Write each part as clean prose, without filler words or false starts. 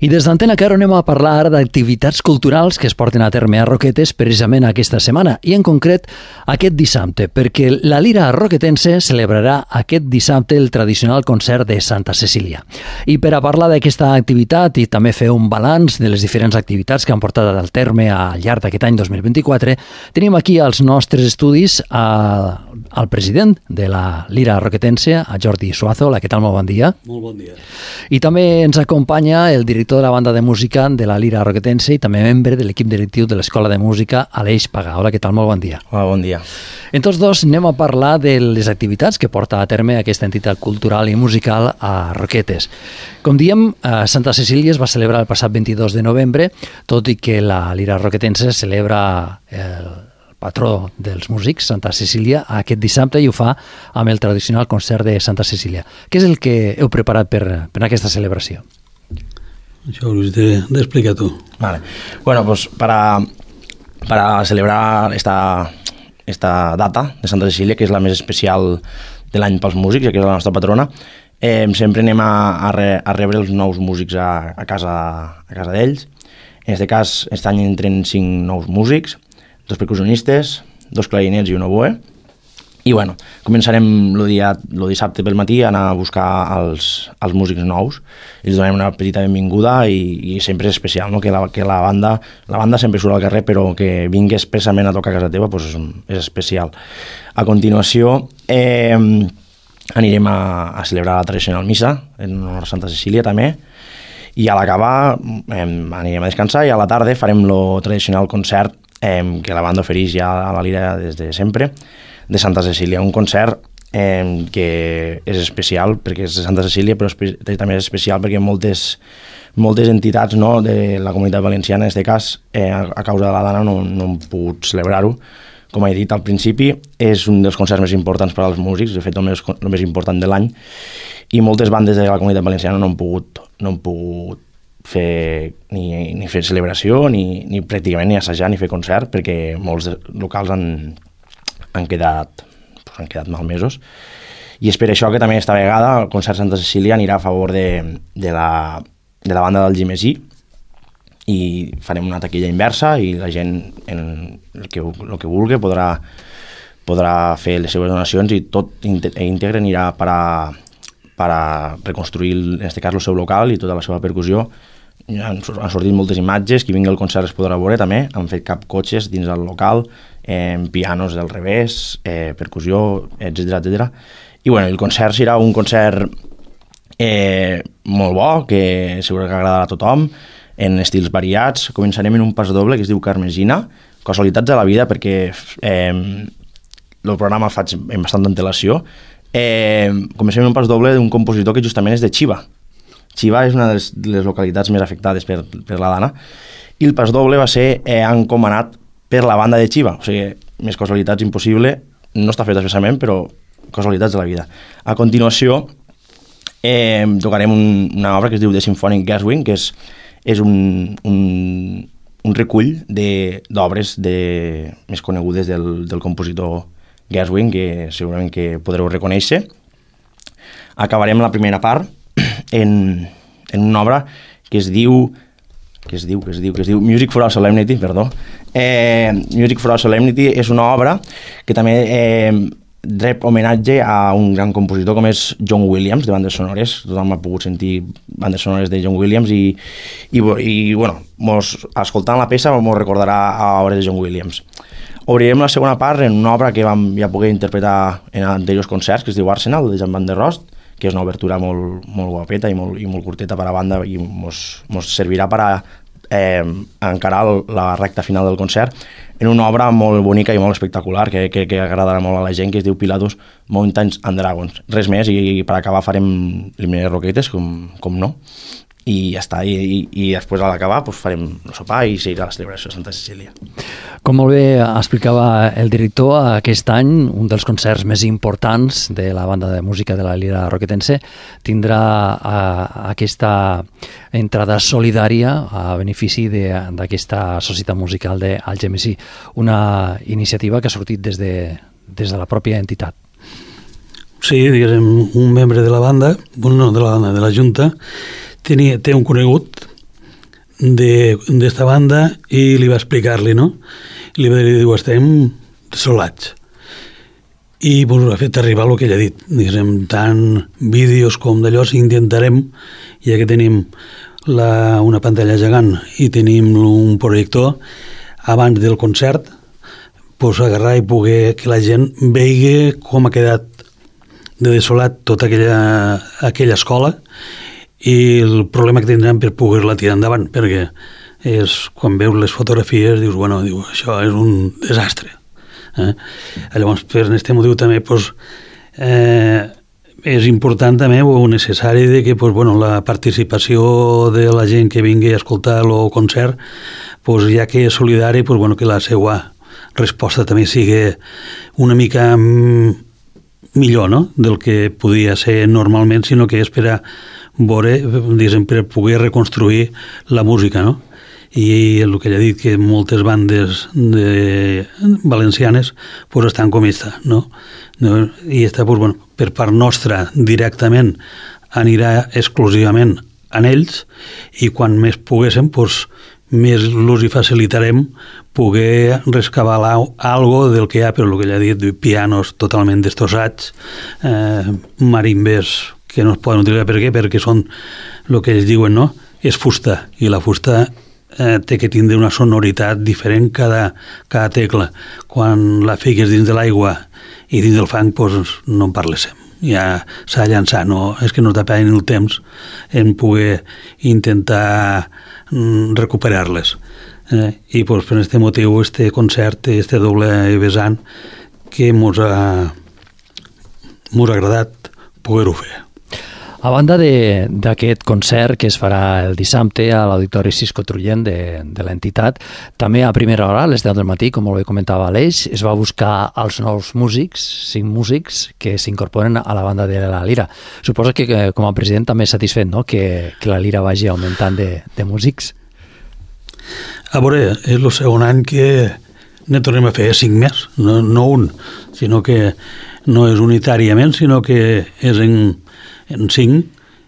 I des d'Antena Caro anem a parlar d'activitats culturals que es porten a terme a Roquetes precisament aquesta setmana i en concret aquest dissabte, perquè la Lira Roquetense celebrarà aquest dissabte el tradicional concert de Santa Cecília. I per a parlar d'aquesta activitat i també fer un balanç de les diferents activitats que han portat al terme al llarg d'aquest any 2024, tenim aquí als nostres estudis al president de la Lira Roquetense, a Jordi Suazo. Hola, què tal? Molt bon dia. Molt bon dia. I també ens acompanya el director de la banda de música de la Lira Roquetense i també membre de l'equip directiu de l'Escola de Música, Aleix Pagà. Hola, què tal? Molt bon dia. Hola, bon dia. En tots dos anem a parlar de les activitats que porta a terme aquesta entitat cultural i musical a Roquetes. Com diem, Santa Cecília es va celebrar el passat 22 de novembre, tot i que la Lira Roquetense celebra el patró dels músics, Santa Cecília, aquest dissabte, i ho fa amb el tradicional concert de Santa Cecília. Què és el que heu preparat per aquesta celebració? Això ho has d'explicar tu. Vale. Bueno, pues para celebrar esta data de Santa Cecília, que és la més especial de l'any pels músics, que és la nostra patrona, sempre anem a rebre els nous músics a casa d'ells. En aquest cas, aquest any entren 5 nous músics, 2 percussionistes, 2 clarinets i un oboe. I bueno, començarem el dissabte pel matí a anar a buscar els músics nous. Els donem una petita benvinguda i sempre és especial, no? que la banda sempre surt al carrer, però que vingui expressament a tocar a casa teva pues és especial. A continuació anirem a celebrar la tradicional missa en honor a Santa Cecília també, i a l'acabar anirem a descansar i a la tarda farem el tradicional concert que la banda ofereix ja a la Lira des de sempre, de Santa Cecília, un concert que és especial perquè és de Santa Cecília, però també és especial perquè moltes entitats, no, de la comunitat valenciana, en aquest cas, a causa de la dana no han pogut celebrar-ho. Com he dit al principi, és un dels concerts més importants per als músics, de fet el més important de l'any, i moltes bandes de la comunitat valenciana no han pogut fer ni fer celebració, ni pràcticament ni assajar ni fer concert, perquè molts locals han quedat malmesos. I és per això que també esta vegada el concert Santa Cecília anirà a favor de la banda del Gimesí i farem una taquilla inversa i la gent, el que vulgui, podrà fer les seves donacions i tot íntegre anirà per a reconstruir, en aquest cas, el seu local i tota la seva percussió. Han sortit moltes imatges, qui vingui al concert es podrà veure també, han fet capcotxes dins del local, pianos del revés, percussió, etc. I bueno, el concert serà un concert molt bo, que segur que agradarà a tothom, en estils variats. Començarem en un pas doble que es diu Carmesina, casualitats de la vida, perquè el programa el faig amb bastanta antelació. Comencem en un pas doble d'un compositor que justament és de Xiva. Xiva és una de les localitats més afectades per la dana, i el pas doble va ser encomanat per la banda de Xiva, o sigui, més casualitats impossible, no està fet expressament, però casualitats de la vida. A continuació tocarem una obra que es diu The Symphonic Gershwin, que és un recull d'obres més conegudes del compositor Gershwin, que segurament que podreu reconèixer. Acabarem la primera part en una obra que es diu Music for Our Solemnity, perdó. Music for Our Solemnity és una obra que també rep homenatge a un gran compositor com és John Williams, de bandes sonores. Tothom ha pogut sentir bandes sonores de John Williams i bueno, escoltant la peça ens recordarà a obres de John Williams. Obrirem la segona part en una obra que vam ja poder interpretar en anteriors concerts, que es diu Arsenal, de Jan van der Rost, que és una obertura molt guapeta i molt curteta per a banda i ens servirà per a encarar la recta final del concert en una obra molt bonica i molt espectacular que agradarà molt a la gent, que es diu Pilatus Mountains and Dragons. Res més, i per acabar farem l'himne de Roquetes, com no, i ja està, i després a l'acabar farem el sopar i seguirà la celebració de Santa Cecília. Com molt bé explicava el director, aquest any un dels concerts més importants de la banda de música de la Lira Roquetense tindrà aquesta entrada solidària a benefici d'aquesta societat musical d'Algemesí, una iniciativa que ha sortit des de la pròpia entitat. Sí, diguéssim, un membre de la banda, no de la banda, de la Junta, té un conegut d'esta banda i li va explicar-li, no? I li va dir, diu, estem desolats. I pues, ha fet arribar el que ell ha dit. Diguem, tant vídeos com d'allò, si intentarem, ja que tenim una pantalla gegant i tenim un projector, abans del concert, pues, agarrar i poder que la gent vegi com ha quedat de desolat tota aquella escola i el problema que tindran per poder-la tirar endavant, perquè quan veus les fotografies dius, bueno, això és un desastre. Llavors, per aquest motiu també pues, és important també o necessari de que pues, bueno, la participació de la gent que vingui a escoltar el concert, pues, ja que és solidari, pues, bueno, que la seva resposta també sigui una mica millor, no?, del que podia ser normalment, sinó que és per a veure, diguem, per poder reconstruir la música, no? I el que ja he dit, que moltes bandes valencianes pues, estan com esta, no? I esta, pues, bueno, per part nostra directament anirà exclusivament en ells i quan més poguéssim pues, més los hi facilitarem poder rescabar algo del que hi ha, però el que ja he dit, pianos totalment destrossats, marimbes que no es poden utilitzar. Per què? Perquè són el que ells diuen, no? És fusta, i la fusta té que tindre una sonoritat diferent cada tecla. Quan la fiques dins de l'aigua i dins del fang, doncs no en parléssim. Ja s'ha de llançar, no? És que no t'apaïn el temps en poder intentar recuperar-les. I doncs, per aquest motiu, este concert, este doble vessant, que mos ha agradat poder-ho fer. A banda d'aquest concert que es farà el dissabte a l'Auditori Cisco Trullent de l'entitat, també a primera hora, a les 10 del matí, com molt bé comentava Aleix, es va buscar els nous músics, 5 músics, que s'incorporen a la banda de la Lira. Suposo que com a president també és satisfet, no?, que la Lira vagi augmentant de músics. A veure, és el segon any que ne tornem a fer 5 més, no un, sinó que no és unitàriament, sinó que és en 5,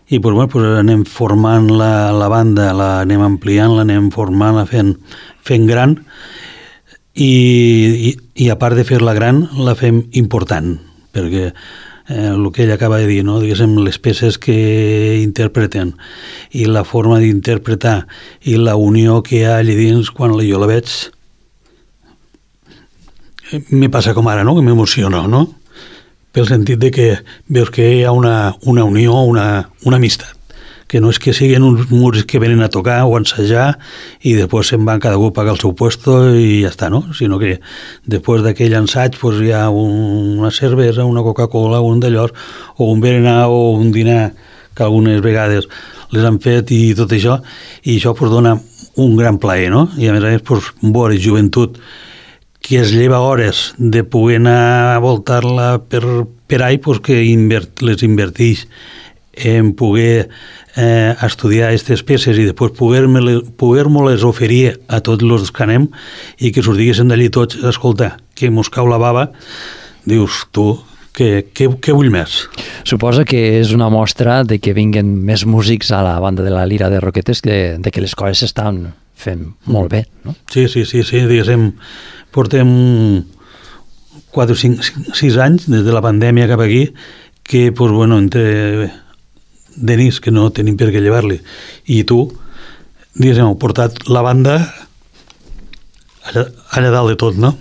i pues, bueno, pues anem formant la banda, l'anem ampliant, l'anem formant, fent gran, i a part de fer-la gran, la fem important, perquè el que ell acaba de dir, no? Diguéssim, les peces que interpreten i la forma d'interpretar i la unió que hi ha allà dins, quan jo la veig, me passa com ara, no?, que m'emociono, no?, pel sentit de que veus que hi ha una unió, una amistat, que no és que siguin uns músics que venen a tocar o a ensajar i després se'n van cada un a pagar el seu puesto i ja està, no? Sinó que després d'aquell ensaig pues, hi ha una cervesa, una Coca-Cola, un d'allò, o un berenar o un dinar, que algunes vegades les han fet i tot això, i això pues, dona un gran plaer, no? I a més pues, veure joventut que es lleva hores de poder anar a voltar-la per ahí, pues que les inverteix en poder estudiar aquestes peces i després poder-me-les oferir a tots els que anem i que s'us diguessin d'allí tots, escolta, que mos cau la bava, dius tu, què vull més? Suposa que és una mostra de que vinguen més músics a la banda de la Lira de Roquetes, de que les coses s'estan fent molt bé, no? Sí, diguéssim, portem 4 o 6 anys des de la pandèmia cap aquí que, pues, bueno, entre Denis, que no tenim per què llevar-li, i tu, diguéssim, heu portat la banda allà dalt de tot, no?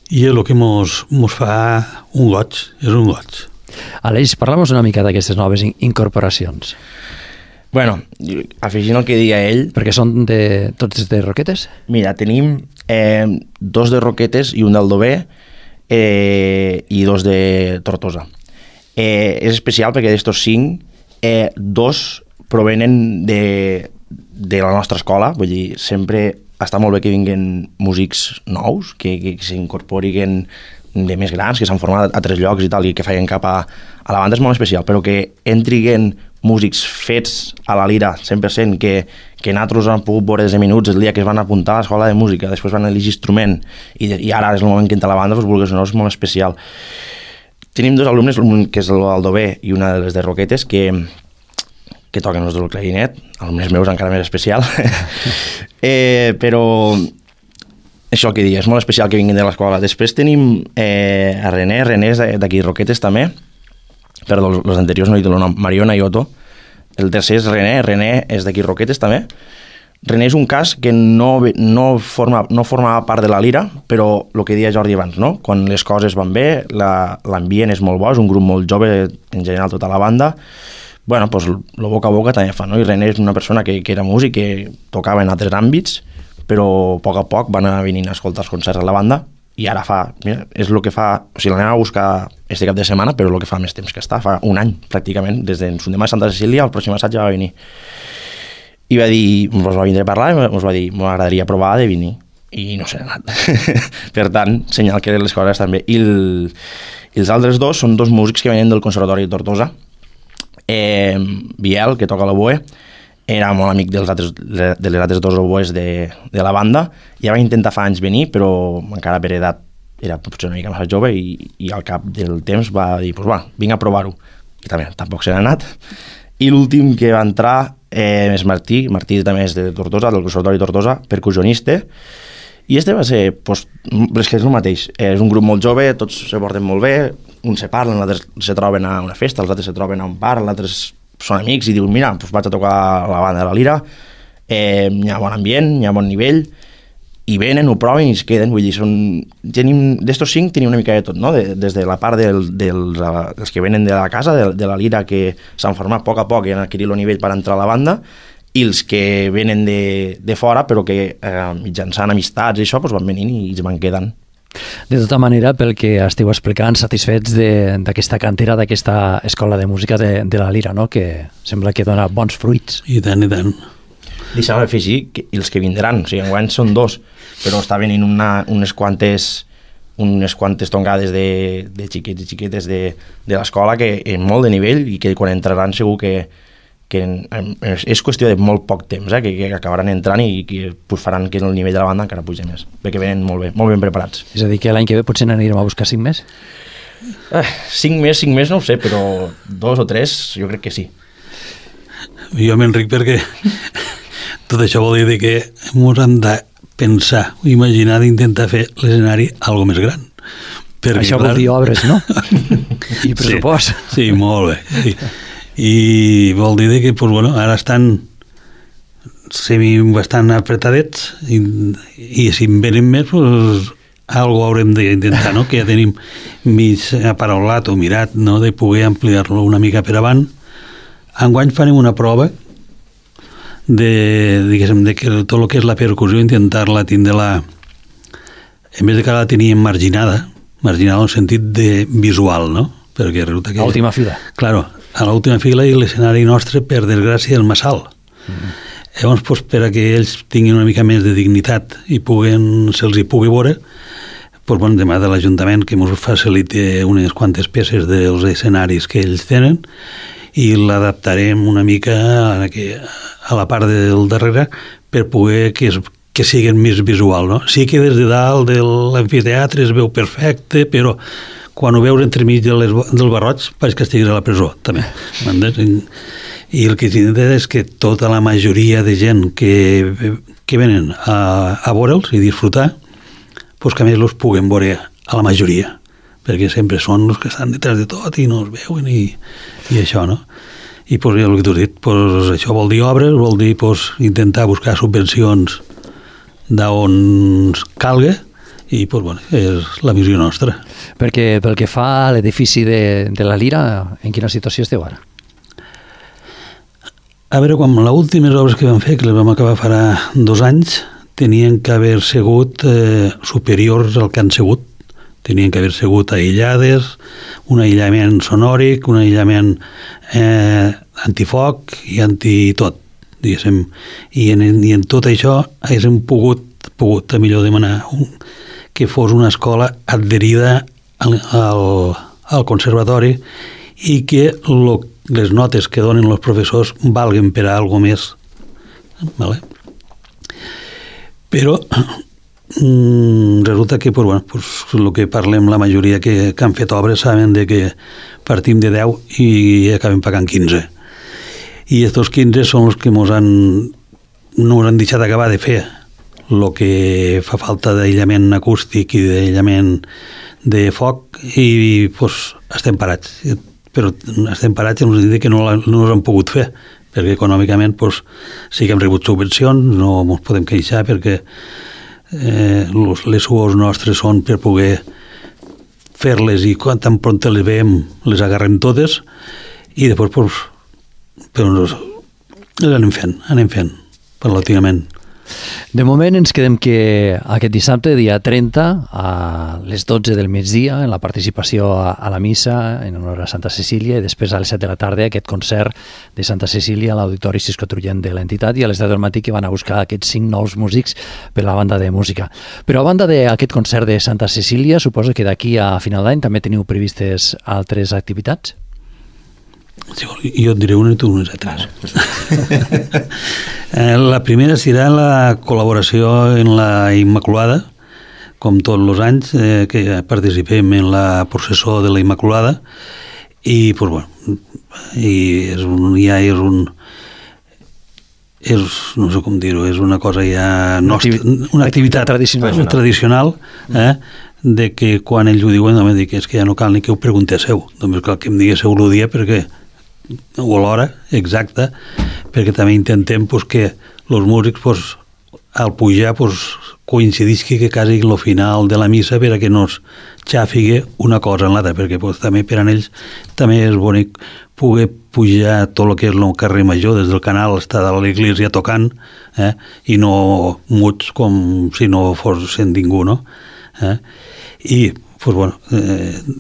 I és el que mos fa un goig, és un goig. Aleix, parla'm una mica d'aquestes noves incorporacions. Bueno, afegint el que deia ell... Perquè són tots de Roquetes? Mira, tenim 2 de Roquetes i un d'Aldover i 2 de Tortosa. És especial perquè d'estos 5, 2 provenen de la nostra escola, vull dir, sempre està molt bé que vinguin músics nous, que s'incorporin de més grans, que s'han format a 3 llocs i tal, i que feien cap a la banda és molt especial, però que entriguen músics fets a la Lira 100%, que nosaltres han pogut veure des de minuts el dia que es van apuntar a l'escola de música, després van elegir instrument i ara és el moment que entra la banda, doncs vulguis o no, és molt especial. Tenim 2 alumnes, un que és l'Aldover i una de les de Roquetes, que que toquen els del clarinet, els meus encara més especial. Però això que dius, és molt especial que vinguin de l'escola. Després tenim a René és d'aquí Roquetes també, perdó, els anteriors no he dit el nom, Mariona i Otto. El tercer és René és d'aquí Roquetes també. René és un cas que no formava part de la Lira, però el que deia Jordi abans, no? Quan les coses van bé, l'ambient és molt bo, és un grup molt jove, en general tota la banda, bueno, doncs el boca a boca també fa, no? I René és una persona que era músic, que tocava en altres àmbits, però a poc van anar venint a escoltar els concerts a la banda, i ara mira, és el que fa, o sigui, l'anem a buscar este cap de setmana, però el que fa més temps que està, fa un any pràcticament, des de Sundemà de Santa Cecília, el pròxim assaig ja va venir. I va dir, ens va vindre a parlar, ens va dir, m'agradaria provar de venir, i no s'ha anat. Per tant, senyal que les coses estan bé. I els altres dos són dos músics que venen del Conservatori de Tortosa. Biel, que toca l'oboe, era molt amic de les altres dos oboes de la banda. Ja va intentar fa anys venir, però encara per edat era potser una mica més jove, i al cap del temps va dir, doncs va, vinc a provar-ho. I també tampoc se n'ha anat. I l'últim que va entrar és Martí també és de Tortosa, del Conservatori de Tortosa, percussionista, i este va ser, doncs, és que és el mateix, és un grup molt jove, tots se porten molt bé, uns se parlen, els altres se troben a una festa, els altres se troben a un bar, els altres són amics i diuen, mira, doncs vaig a tocar la banda de la Lira, hi ha bon ambient, hi ha bon nivell, i venen, ho proven i es queden, vull dir, d'estos 5 tenim una mica de tot, no? Des de la part dels que venen de la casa, de la Lira, que s'han format a poc i han adquirit el nivell per entrar a la banda, i els que venen de fora, però que mitjançant amistats i això, doncs van venint i es van quedant. De tota manera, pel que esteu explicant, satisfets d'aquesta cantera, d'aquesta escola de música de la Lira, no? Que sembla que dona bons fruits. I tant, i tant. Deixa'm afegir que els que vindran, o sigui, enguany són 2, però està venint unes quantes tongades de xiquets i xiquetes de l'escola que en molt de nivell, i que quan entraran segur que és qüestió de molt poc temps, que acabaran entrant i que faran que el nivell de la banda encara puja més, perquè venen molt ben preparats. És a dir, que l'any que ve potser n'anirem a buscar 5 més? 5 més no ho sé, però 2 o 3 jo crec que sí. Jo m'enric perquè tot això vol dir que ens hem de pensar, imaginar d'intentar fer l'escenari algo més gran. Perquè, això vol dir obres, no? I pressupost. Sí, molt bé. I vol dir que pues, bueno, ara estan bastant apretadets i si en venen més, pues, algo haurem d'intentar, no? Que ja tenim mig aparaulat o mirat, no? De poder ampliar-lo una mica per avant. Enguany farem una prova de que tot el que és la percussió, intentar-la tindre-la, en vez de que la teníem marginada en el sentit de visual, no? Perquè resulta que... A l'última fila. Claro, a l'última fila, i l'escenari nostre, per desgràcia, és massa alt. Llavors, pues, per a que ells tinguin una mica més de dignitat i se'ls hi pugui veure, pues, bueno, demà de l'Ajuntament que ens faciliti unes quantes peces dels escenaris que ells tenen, i l'adaptarem una mica a la part del darrere per poder que siguin més visual, no? Sí que des de dalt de l'amfiteatre es veu perfecte, però quan ho veus entremig del barroig pareix que estiguis a la presó, també. I el que s'intenta és que tota la majoria de gent que venen a veure'ls i disfrutar, pues que a més els puguem veure a la majoria, perquè sempre són els que estan detrás de tot i no es veuen i això, no? I pues, el que t'ho he dit, pues, això vol dir obres, vol dir pues, intentar buscar subvencions d'on calga i pues, bueno, és la visió nostra. Perquè pel que fa a l'edifici de la Lira, en quina situació esteu ara? A veure, quan les últimes obres que vam fer, que les vam acabar farà 2 anys, tenien que haver sigut superiors al que han sigut. Tenien que haver sigut aïllades, un aïllament sonòric, un aïllament antifoc i antitot, diguéssim. I en tot això haguéssim pogut a millor demanar que fos una escola adherida al conservatori i que les notes que donen els professors valguen per a alguna més. Vale? Però resulta que pues, el que parlem la majoria que han fet obres saben de que partim de 10 i acabem pagant 15. i estos 15 són els que no han deixat acabar de fer el que fa falta d'aïllament acústic i d'aïllament de foc, i pues, estem parats. Però estem parats en el sentit que no els han pogut fer, perquè econòmicament pues, sí que hem rebut subvencions, no ens podem queixar perquè les suors nostres són per poder fer-les, i quan tan pront les veiem les agarrem totes, i després pues, però les anem fent paulatinament. De moment ens quedem que aquest dissabte, dia 30, a les 12 del migdia, en la participació a la missa en honor a Santa Cecília, i després a les 7 de la tarda aquest concert de Santa Cecília a l'Auditori Cisco Trullent de l'entitat, i a les 10 del matí que van a buscar aquests 5 nous músics per la banda de música. Però a banda d'aquest concert de Santa Cecília, suposo que d'aquí a final d'any també teniu previstes altres activitats? Jo et diré una i tu unes altres. La primera serà la col·laboració en la Immaculada, com tots els anys que participem en la processó de la Immaculada, i pues, bueno, no sé com dir-ho, és una cosa ja nostra, una activitat tradicional, de que quan ells ho diuen, no dic, és que ja no cal ni que ho preguntéseu, només cal que em diguéssiu el dia perquè o l'hora exacta, perquè també intentem pues, que els músics pues, al pujar pues, coincidisqui que quasi el final de la missa per a que no es xàfigue una cosa en l'altra, perquè pues, també per a ells també és bonic poder pujar tot el que és el carrer Major des del canal, estar a l'església tocant, i no muts com si no fos sent ningú, no? I pues, bueno,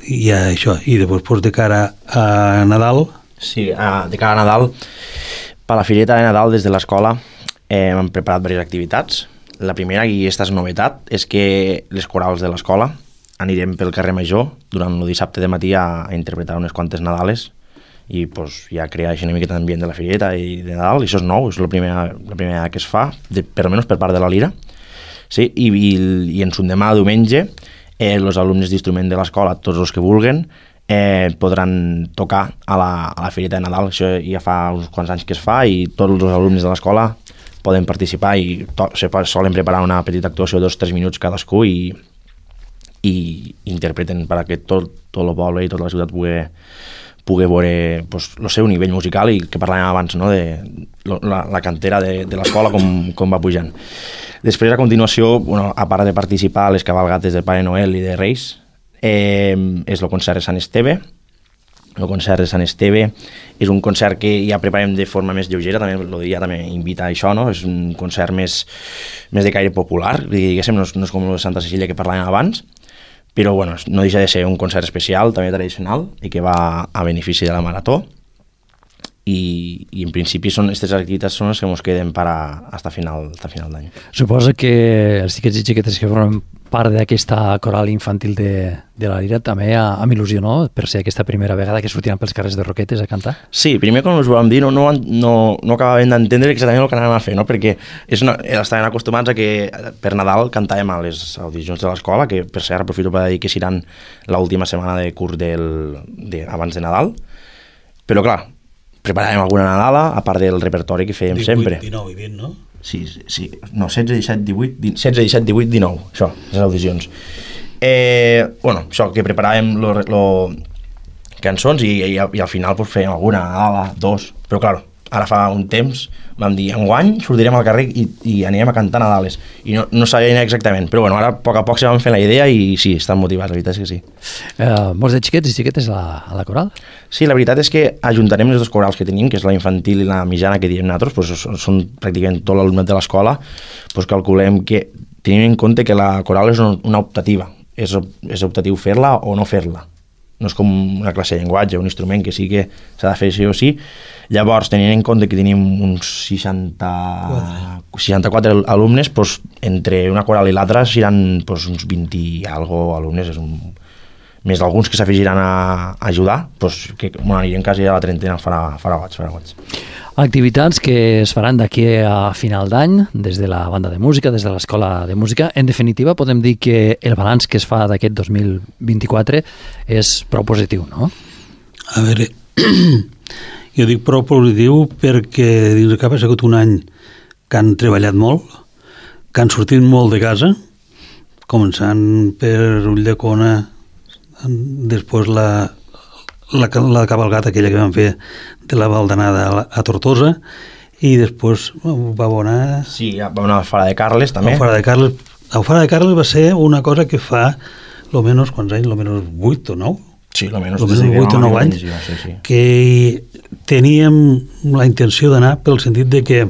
hi ha això, i després pues, de cara a Nadal. Sí, de cara a Nadal, per la fireta de Nadal des de l'escola hem preparat diverses activitats. La primera, i aquesta és novetat, és que les corals de l'escola anirem pel carrer Major durant el dissabte de matí a interpretar unes quantes Nadales, i pues, ja crear una miqueta d'ambient de la fireta i de Nadal, i això és nou, és la primera que es fa, per almenys per part de la Lira. Sí, i en son demà, diumenge, els alumnes d'instrument de l'escola, tots els que vulguen, podran tocar a la fireta de Nadal. Això ja fa uns quants anys que es fa, i tots els alumnes de l'escola poden participar, i solen preparar una petita actuació de 2-3 minuts cadascú, i interpreten perquè tot el poble i tota la ciutat pugui veure pues, el seu nivell musical, i que parlàvem abans, no? De la cantera de l'escola com va pujant. Després, a continuació, bueno, a part de participar a les cabalgates de Pare Noel i de Reis, és el concert de Sant Esteve. El concert de Sant Esteve és un concert que ja preparem de forma més lleugera, també el dia també invita a això, no? És un concert més de caire popular, diguéssim, no és com el de Santa Cecília que parlàvem abans, però bueno, no deixa de ser un concert especial, també tradicional, i que va a benefici de la Marató, i en principi aquestes activitats són les que ens queden hasta final d'any. Suposo que els xiquets i xiquetes que formen part d'aquesta coral infantil de la Lira també amb il·lusió, no?, per ser aquesta primera vegada que sortiran pels carrers de Roquetes a cantar. Sí, primer quan us ho vam dir no acabàvem d'entendre exactament el que anàvem a fer, no?, perquè estaven acostumats a que per Nadal cantàvem a les audicions de l'escola, que per cert aprofito per dir que seran l'última setmana de curs abans de Nadal, però clar, preparàvem alguna Nadala, a part del repertori que fèiem 18, sempre. 19 i 20, no? Sí. No, 16, 17, 18, 19, això, les audicions. Bueno, això, que preparàvem cançons i al final pues, fèiem alguna Nadala, 2, però clar, ara fa un temps vam dir, enguany sortirem al carrer i anirem a cantar Nadales, i no sabien exactament, però bueno, ara a poc se van fer la idea i sí, estan motivats, la veritat és que sí. Molts de xiquets i xiquetes a la coral? Sí, la veritat és que ajuntarem les dues corals que tenim, que és la infantil i la mitjana que diem nosaltres, pues, són pràcticament tot l'alumnat de l'escola, pues, calculem que tenim en compte que la coral és una optativa, és optatiu fer-la o no fer-la. No és com una classe de llenguatge, un instrument que sí que s'ha de fer sí o sí. Llavors, tenint en compte que tenim uns 64 alumnes, doncs, entre una coral i l'altra seran doncs, uns 20 i algo alumnes, més d'alguns que s'afegiran a ajudar, doncs, que anirem quasi a la trentena, farà goig. Activitats que es faran d'aquí a final d'any, des de la banda de música, des de l'escola de música. En definitiva, podem dir que el balanç que es fa d'aquest 2024 és prou positiu, no? A veure, Jo dic prou positiu perquè dins de cap ha sigut un any que han treballat molt, que han sortit molt de casa, començant per Ulldecona, després la cabalgata aquella que van fer de la Val d'Anada a Tortosa, i després va anar... Sí, va anar a Fara de Carles, també. A Fara de Carles va ser una cosa que fa, almenys, quants anys? Almenys 8 o 9? Sí, almenys 8 o 9 anys, que teníem la intenció d'anar pel sentit de que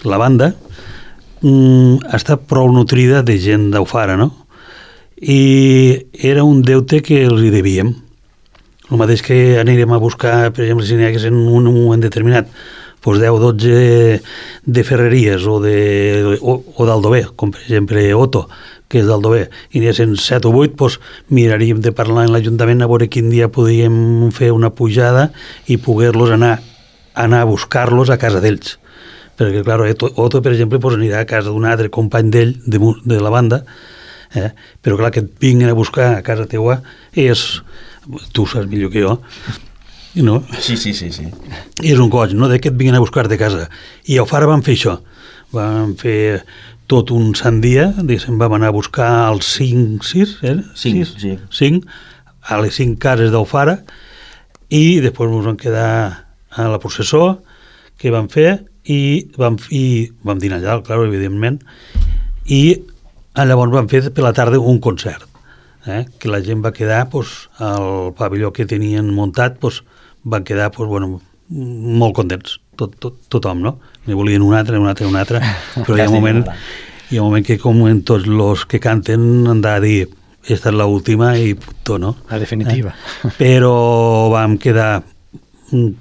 la banda està prou nutrida de gent d'Alfara, no? I era un deute que els hi devíem. El mateix que anirem a buscar, per exemple, si n'hi hagués en un moment determinat, doncs 10 o 12 de ferreries o d'Aldover, com per exemple Otto, que és d'Aldover, i n'hi ha 7 o 8, doncs miraríem de parlar en l'Ajuntament a veure quin dia podíem fer una pujada i poder-los anar a buscar-los a casa d'ells. Perquè, clar, Otto, per exemple, doncs anirà a casa d'un altre company d'ell, de la banda, però, clar, que et vinguin a buscar a casa teua és... Tu saps millor que jo, no? Sí. És un coll, no?, que et vinguin a buscar de casa. I a Alfara van fer això. Van fer tot un sant dia, diguéssim, vam anar a buscar els 5, a les 5 cases d'Alfara, i després ens vam quedar a la processó que vam fer i vam dinar allà, clar, evidentment, i llavors vam fer per la tarda un concert, que la gent va quedar al pavelló que tenien muntat, van quedar molt contents, tothom, no? Ne volien un altre, però hi ha un moment que, com en tots els que canten, han de dir esta és l'última i puto, no? La definitiva. Però vam quedar,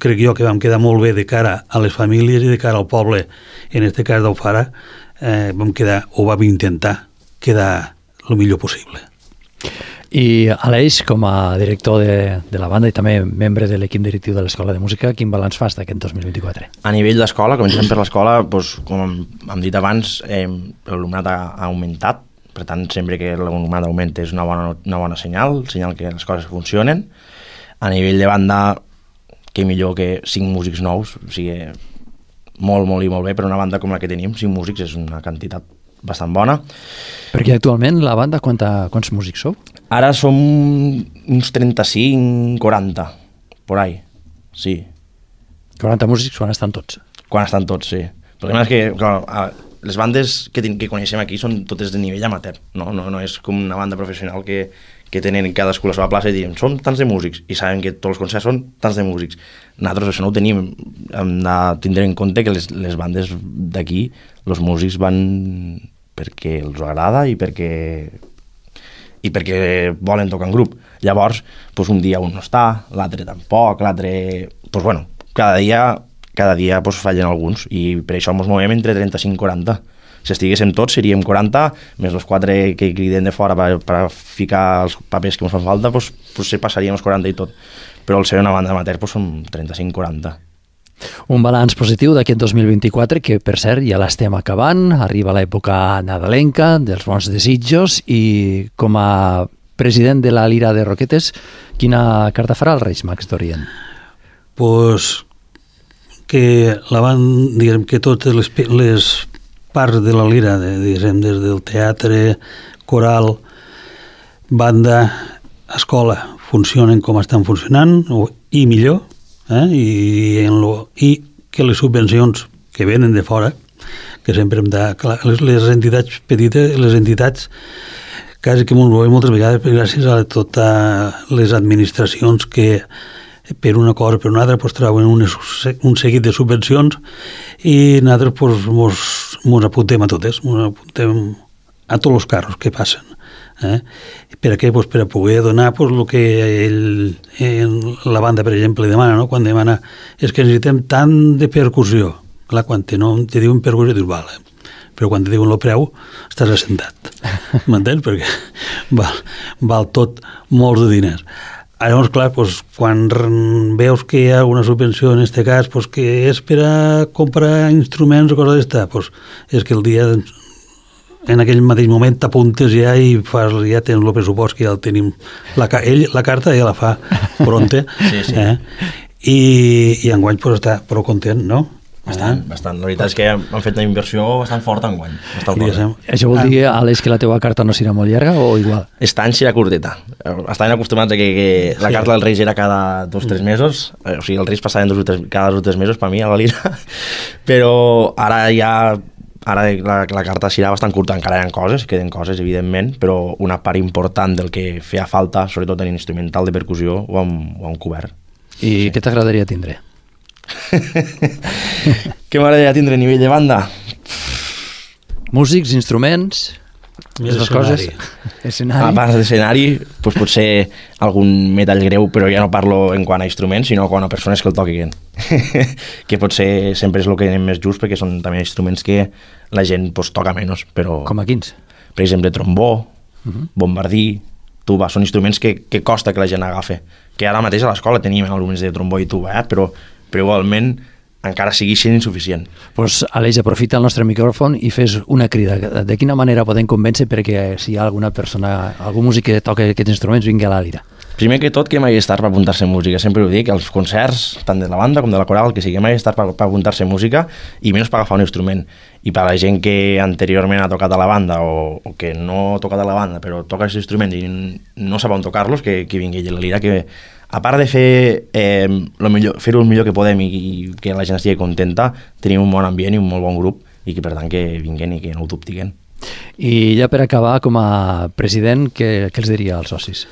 crec jo que vam quedar molt bé de cara a les famílies i de cara al poble, en aquest cas d'Alfara, vam intentar quedar el millor possible. I Aleix, com a director de la banda i també membre de l'equip directiu de l'Escola de Música, quin balanç fas d'aquest 2024? A nivell d'escola, comencem per l'escola, com hem dit abans, l'alumnat ha augmentat, per tant, sempre que l'alumnat augmenta és una bona senyal que les coses funcionen. A nivell de banda, que millor que 5 músics nous, o sigui, molt i molt bé, per una banda com la que tenim, 5 músics és una quantitat bastant bona. Perquè actualment la banda, quants músics sou? Ara som uns 35, 40, por ahí, sí. 40 músics quan estan tots? Quan estan tots, sí. El problema és que, clar, les bandes que coneixem aquí són totes de nivell amateur, no és com una banda professional que tenen cadascú la seva plaça i diuen, són tants de músics, i saben que tots els concerts són tants de músics. Nosaltres això no ho tenim, hem de tindre en compte que les bandes d'aquí, els músics van perquè els agrada i perquè volen tocar en grup. Llavors, un dia un no està, l'altre tampoc, cada dia fallen alguns, i per això ens movem entre 35 i 40. Si estiguéssim tots seríem 40, més els 4 que criden de fora per ficar els papers que ens fan falta, potser passaríem els 40 i tot. Però al ser una banda amateur som 35-40. Un balanç positiu d'aquest 2024, que per cert ja l'estem acabant, arriba l'època nadalenca, dels bons desitjos, i com a president de la Lira de Roquetes, quina carta farà el Reis Mags d'Orient? Que diguem que totes les parts de la Lira, diguem, des del teatre, coral, banda, escola, funcionen com estan funcionant, i millor, i que les subvencions que venen de fora, que sempre hem de... Les entitats petites, les entitats, quasi que m'ho veiem moltes vegades, gràcies a totes les administracions que per una cosa o per una altra troben un seguit de subvencions, i nosaltres mos apuntem a totes, mos apuntem a tots els carros que passen. Per a què? Per a poder donar el que la banda, per exemple, demana, no? Quan demana és que necessitem tant de percussió. Clar, quan te diuen percussió, dius, vale, però quan te diuen el preu, estàs assentat. M'entens? Perquè val tot molts de diners. Llavors, clar, quan veus que hi ha una subvenció, en aquest cas, que és per a comprar instruments o coses d'esta, és que el dia, en aquell mateix moment, t'apuntes ja i ja tens el pressupost, que ja el tenim. La carta ja la fa pronta. Sí. i enguany pues, està prou content, no? Bastant. La veritat és que han fet una inversió bastant forta enguany. Això vol dir, Àlex, que la teva carta no serà molt llarga o igual? Aquest any serà curteta. Estaven acostumats a que la carta dels Reis era cada 2 o 3 mesos, o sigui, els Reis passaven cada 2 o 3 mesos per mi a la Lira, però ara la carta serà bastant curta, encara hi ha coses, queden coses, evidentment, però una part important del que feia falta, sobretot en instrumental de percussió, ho hem cobert. I què t'agradaria tindre? Què m'agradaria tindre a nivell de banda? Músics, instruments, aquestes coses. Escenari. A part d'escenari, doncs potser algun metall greu, però ja no parlo en quant a instruments, sinó quant a persones que el toquin. Que potser sempre és el que anem més just, perquè són també instruments que la gent doncs, toca menys. Però, com a quins? Per exemple, trombó, bombardí, tuba, són instruments que costa que la gent agafi. Que ara mateix a l'escola teníem alumnes de trombó i tuba, però igualment encara sigui sent insuficient. Doncs, Aleix, aprofita el nostre micròfon i fes una crida. De quina manera podem convèncer perquè si hi ha alguna persona, algun músic que toca aquests instruments, vingui a la Lira? Primer que tot, que mai estar per apuntar-se a música. Sempre ho dic, els concerts, tant de la banda com de la coral, que sigui mai estar per apuntar-se a música i menys per agafar un instrument. I per a la gent que anteriorment ha tocat a la banda o que no ha tocat a la banda però toca aquests instruments i no sap on tocar-los, que vingui a la Lira, que a part de fer-ho el millor que podem i que la gent estigui contenta, tenim un bon ambient i un molt bon grup i que per tant que vinguin i que no ho dubtiguen. I ja per acabar, com a president, què els diria als socis?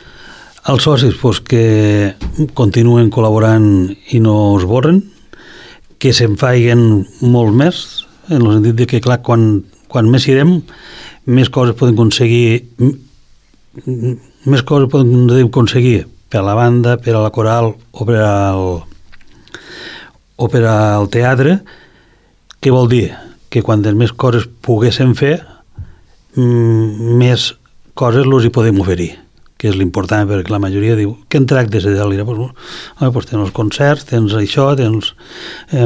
Els socis, pues, que continuen col·laborant i no es borren, que se'n faiguen molt més, en el sentit de que, clar, quan més irem, més coses podem aconseguir per a la banda, per a la coral o per al teatre. Què vol dir? Que quantes més coses poguéssim fer, més coses els hi podem oferir, que és l'important, perquè la majoria diu què en tractes de Lira? Pues tens els concerts, tens això,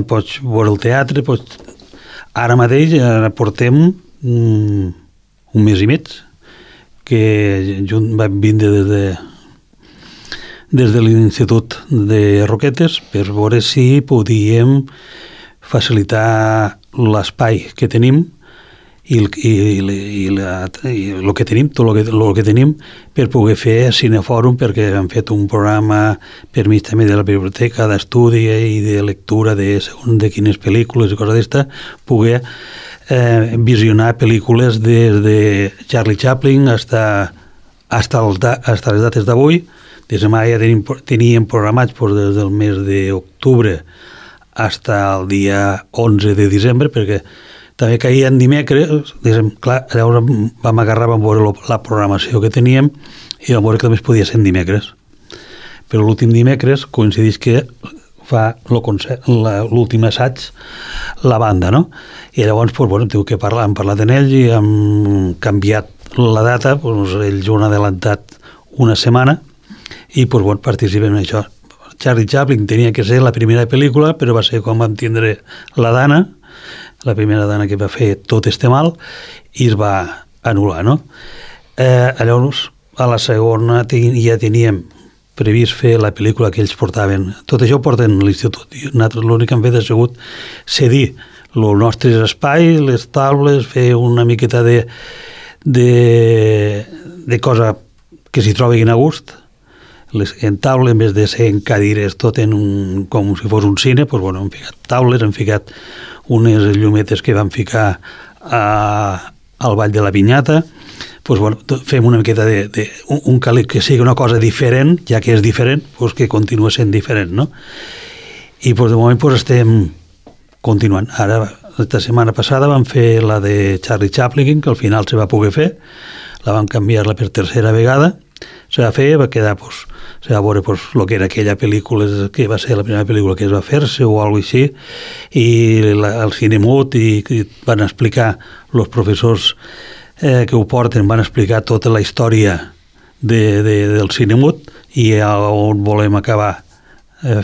pots veure el teatre, ara mateix portem un mes i mig que vam vindre des de l'Institut de Roquetes per veure si podíem facilitar l'espai que tenim i el que tenim, tot el que tenim, per poder fer cinefòrum, perquè hem fet un programa per mig també de la biblioteca d'estudi i de lectura de quines pel·lícules i coses d'esta, poder visionar pel·lícules des de Charlie Chaplin hasta les dates d'avui. Des de ja teníem programats des del mes d'octubre fins al dia 11 de desembre, perquè també caien dimecres, clar, llavors vam veure la programació que teníem i vam veure que també es podia ser en dimecres. Però l'últim dimecres coincideix que fa l'últim assaig la banda, no? I llavors, hem parlat amb ells i hem canviat la data, ells ho han adelantat una setmana i participem en això. Charlie Chaplin tenia que ser la primera pel·lícula, però va ser quan vam tindre la Dana, la primera dona que va fer Tot este mal, i es va anul·lar, no? Llavors, a la segona ja teníem previst fer la pel·lícula que ells portaven. Tot això ho porten a l'institut. Nosaltres l'únic que hem fet ha sigut cedir els nostres espais, les taules, fer una miqueta de cosa que s'hi trobin a gust. En taula, en vez de ser en cadires tot com si fos un cine, hem ficat taules, hem ficat unes llumetes que vam ficar al Vall de la Pinyata. Fem una miqueta un que sigui una cosa diferent, ja que és diferent, que continua sent diferent, no? I de moment estem continuant. Ara, la setmana passada vam fer la de Charlie Chaplin, que al final se va poder fer, la vam canviar-la per tercera vegada, se va fer, va quedar, se va veure el que era aquella pel·lícula, que va ser la primera pel·lícula que es va fer-se o alguna cosa així, i el Cinemut, i van explicar els professors que ho porten, van explicar tota la història del Cinemut i on volem acabar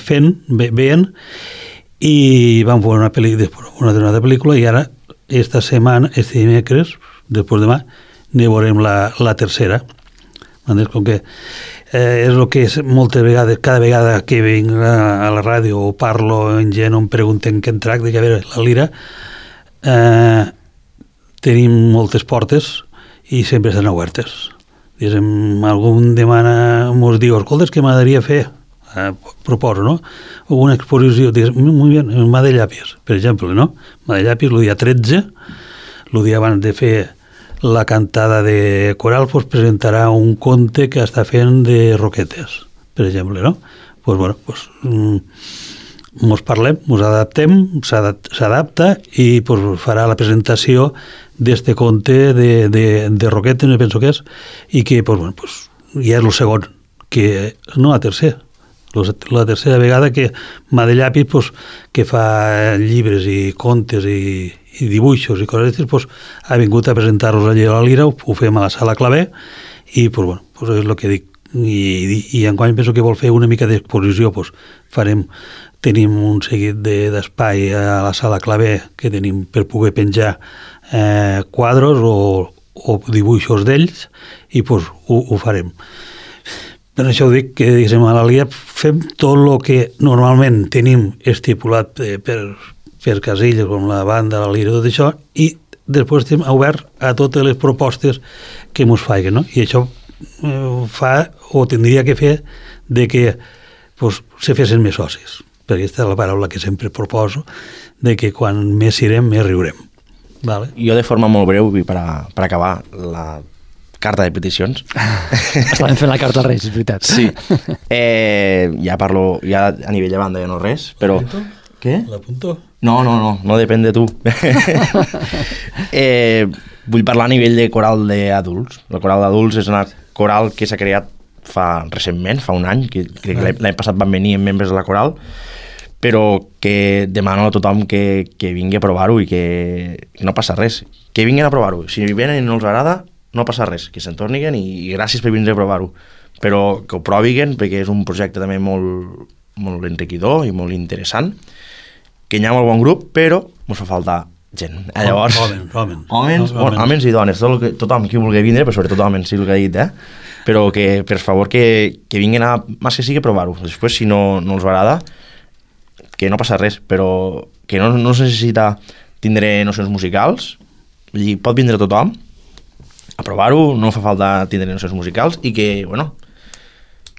fent, veient, i vam veure una determinada pel·lícula, i ara, esta setmana, este dimecres, després demà, ne veurem la tercera. Com que és el que és moltes vegades, cada vegada que vinc a la ràdio o parlo en gent on pregunten què en tracta, que a veure, la Lira tenim moltes portes i sempre estan obertes. Algun demana, mos diu, escolta, és que m'agradaria fer, proposo, no? Una exposició, molt bé, en mà de llàpies, per exemple, no? Mà de llàpies, el dia 13, el dia abans de fer la cantada de coral, pues presentarà un conte que està fent de Roquetes, per exemple, no? Pues bueno, pues mos parlem, mos adaptem, s'adapta i pues, farà la presentació d'este conte de Roquetes, me penso que és, i que pues, bueno, pues, ja és el segon, que no la tercera. La tercera vegada que mà de llapis pues, que fa llibres i contes i dibuixos i coses d'aquestes, pues, ha vingut a presentar-los allà a la Lira, ho fem a la Sala Clavé i pues, bueno, pues, és el que dic. I enguany penso que vol fer una mica d'exposició, pues, tenim un seguit d'espai a la Sala Clavé que tenim per poder penjar quadros o dibuixos d'ells i pues, ho farem. Per això ho dic que a la Lira fem tot el que normalment tenim estipulat per casilles, com la banda, la Lira, tot això, i després estem oberts a totes les propostes que ens facin, no? I això fa, o tindria que fer, de que pues, se fessin més socis, perquè aquesta és la paraula que sempre proposo, de que quan més irem, més riurem. Vale? Jo de forma molt breu, i per acabar la carta de peticions. Estàvem fent la carta als Reis, és veritat. Sí. Ja parlo, ja a nivell de banda ja no res, però... Què? L'apunto? No depèn de tu. Vull parlar a nivell de coral d'adults. El coral d'adults és una coral que s'ha creat recentment, fa un any, que crec que l'any passat van venir membres de la coral, però que demano a tothom que vingui a provar-ho i que no passa res. Que vinguin a provar-ho. Si venen i no els agrada, no passa res, que se'n tornin i gràcies per vindre a provar-ho. Però que ho proviguen, perquè és un projecte també molt, molt enriquidor i molt interessant, que hi ha molt bon grup, però ens fa faltar gent. Llavors, homes i dones, tothom qui vulgui vindre, però sobretot homes, sí el que he dit, però que, per favor, que vinguin a, més que sigui, a provar-ho. Després, si no els agrada, que no passa res, però que no es necessita tindre nocions musicals, i pot vindre tothom a provar-ho, no fa falta tindre nocions musicals i que, bueno,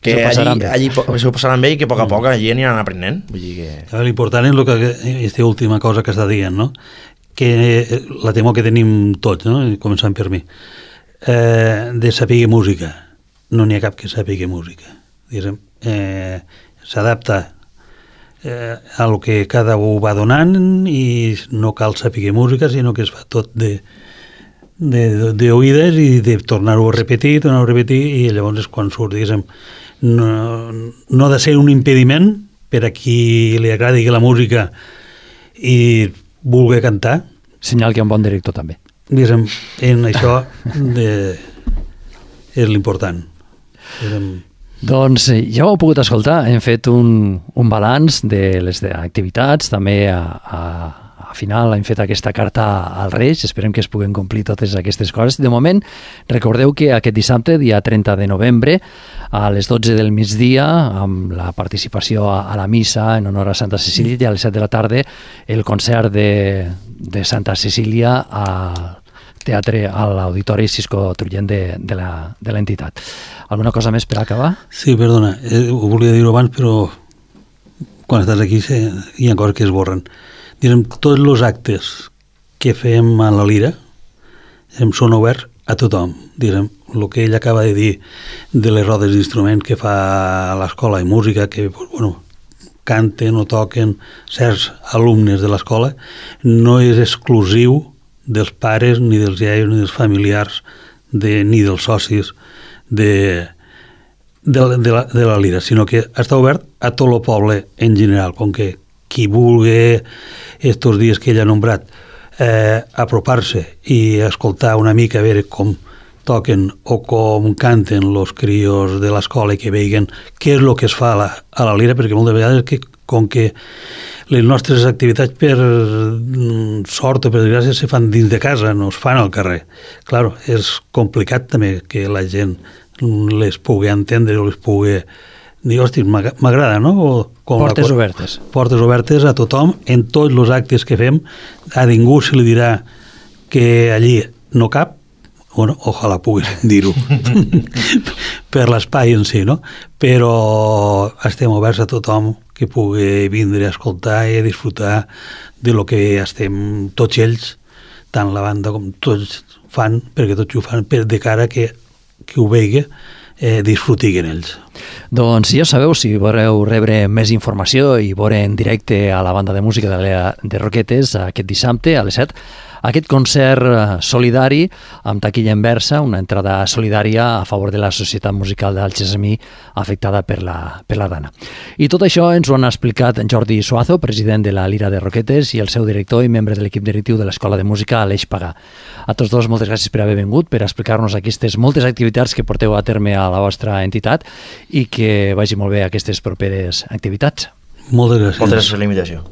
que allí s'ho passaran bé i que a poc a poc allí aniran aprenent. Vull dir que... L'important és aquesta última cosa que està dient, no? Que la temor que tenim tots, no? Començant per mi, de saber música. No n'hi ha cap que sàpiga música. S'adapta a lo que cada un va donant i no cal saber música, sinó que es fa tot d'oïdes i de tornar-ho a repetir, i llavors és quan surt, no ha de ser un impediment per a qui li agradi la música i vulgui cantar. Senyal que hi ha un bon director també. En això és l'important. Doncs ja ho heu pogut escoltar, hem fet un balanç de les activitats, també a final hem fet aquesta carta als Reis, esperem que es puguen complir totes aquestes coses. De moment, recordeu que aquest dissabte, dia 30 de novembre, a les 12 del migdia, amb la participació a la missa en honor a Santa Cecília, i a les 7 de la tarda el concert de Santa Cecília al teatre, a l'Auditori Cisco Trullent de l'entitat. Alguna cosa més per acabar? Sí, perdona, ho volia dir-ho abans, però quan estàs aquí hi ha coses que es borren. Tots els actes que fem a la Lira són oberts a tothom. El que ell acaba de dir de les rodes d'instruments que fa a l'escola de música, que canten o toquen certs alumnes de l'escola, no és exclusiu dels pares, ni dels iaios, ni dels familiars, ni dels socis de la Lira, sinó que està obert a tot el poble en general, com que qui vulgui estos dies que ell ha nombrat apropar-se i escoltar una mica, a veure com toquen o com canten els crios de l'escola i que vegin què és el que es fa a la Lira, perquè moltes vegades com que les nostres activitats per sort o per desgràcia se fan dins de casa, no es fan al carrer. Clar, és complicat també que la gent les pugui entendre o les pugui dir, hosti, m'agrada, no? Portes obertes. Portes obertes a tothom, en tots els actes que fem. A ningú se li dirà que allí no cap, bueno, ojalà puguis dir-ho, per l'espai en si, no? Però estem oberts a tothom que pugui vindre a escoltar i a disfrutar de lo que estem tots ells, tant la banda com tots fan, perquè tots ho fan de cara que ho vegi, disfrutiguen ells. Doncs ja sabeu, si voleu rebre més informació i veure en directe a la banda de música de Roquetes aquest dissabte a les 7, aquest concert solidari amb taquilla inversa, una entrada solidària a favor de la Societat Musical d'Algessamí afectada per la dana. I tot això ens ho han explicat en Jordi Suazo, president de la Lira de Roquetes, i el seu director i membre de l'equip directiu de l'Escola de Música, Aleix Pagà. A tots dos, moltes gràcies per haver vingut, per explicar-nos aquestes moltes activitats que porteu a terme a la vostra entitat i que vagi molt bé aquestes properes activitats. Moltes gràcies. Moltes gràcies per la invitació.